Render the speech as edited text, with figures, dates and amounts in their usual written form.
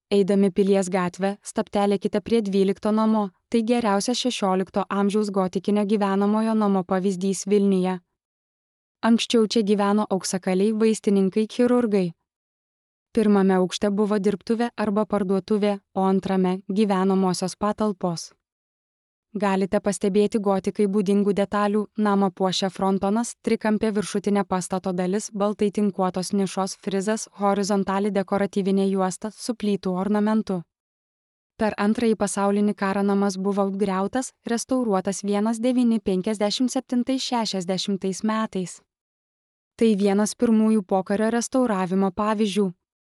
Eidami Pilies gatvę, stabtelėkite prie 12 namo, tai geriausias 16 amžiaus gotikinio gyvenamojo namo pavyzdys Vilniuje. Anksčiau čia gyveno auksakaliai, vaistininkai, chirurgai. Pirmame aukšte buvo dirbtuvė arba parduotuvė, o antrame – gyvenamosios patalpos. Galite pastebėti gotikai būdingų detalių, namą puošia frontonas, trikampė viršutinė pastato dalis, baltai tinkuotos nišos, frizas, horizontali dekoratyvinė juosta su plytų ornamentu. Per Antrąjį pasaulinį karą namas buvo apgriautas, restauruotas 1957–60 metais. Tai vienas pirmųjų pokario restauravimo pavyzdžių.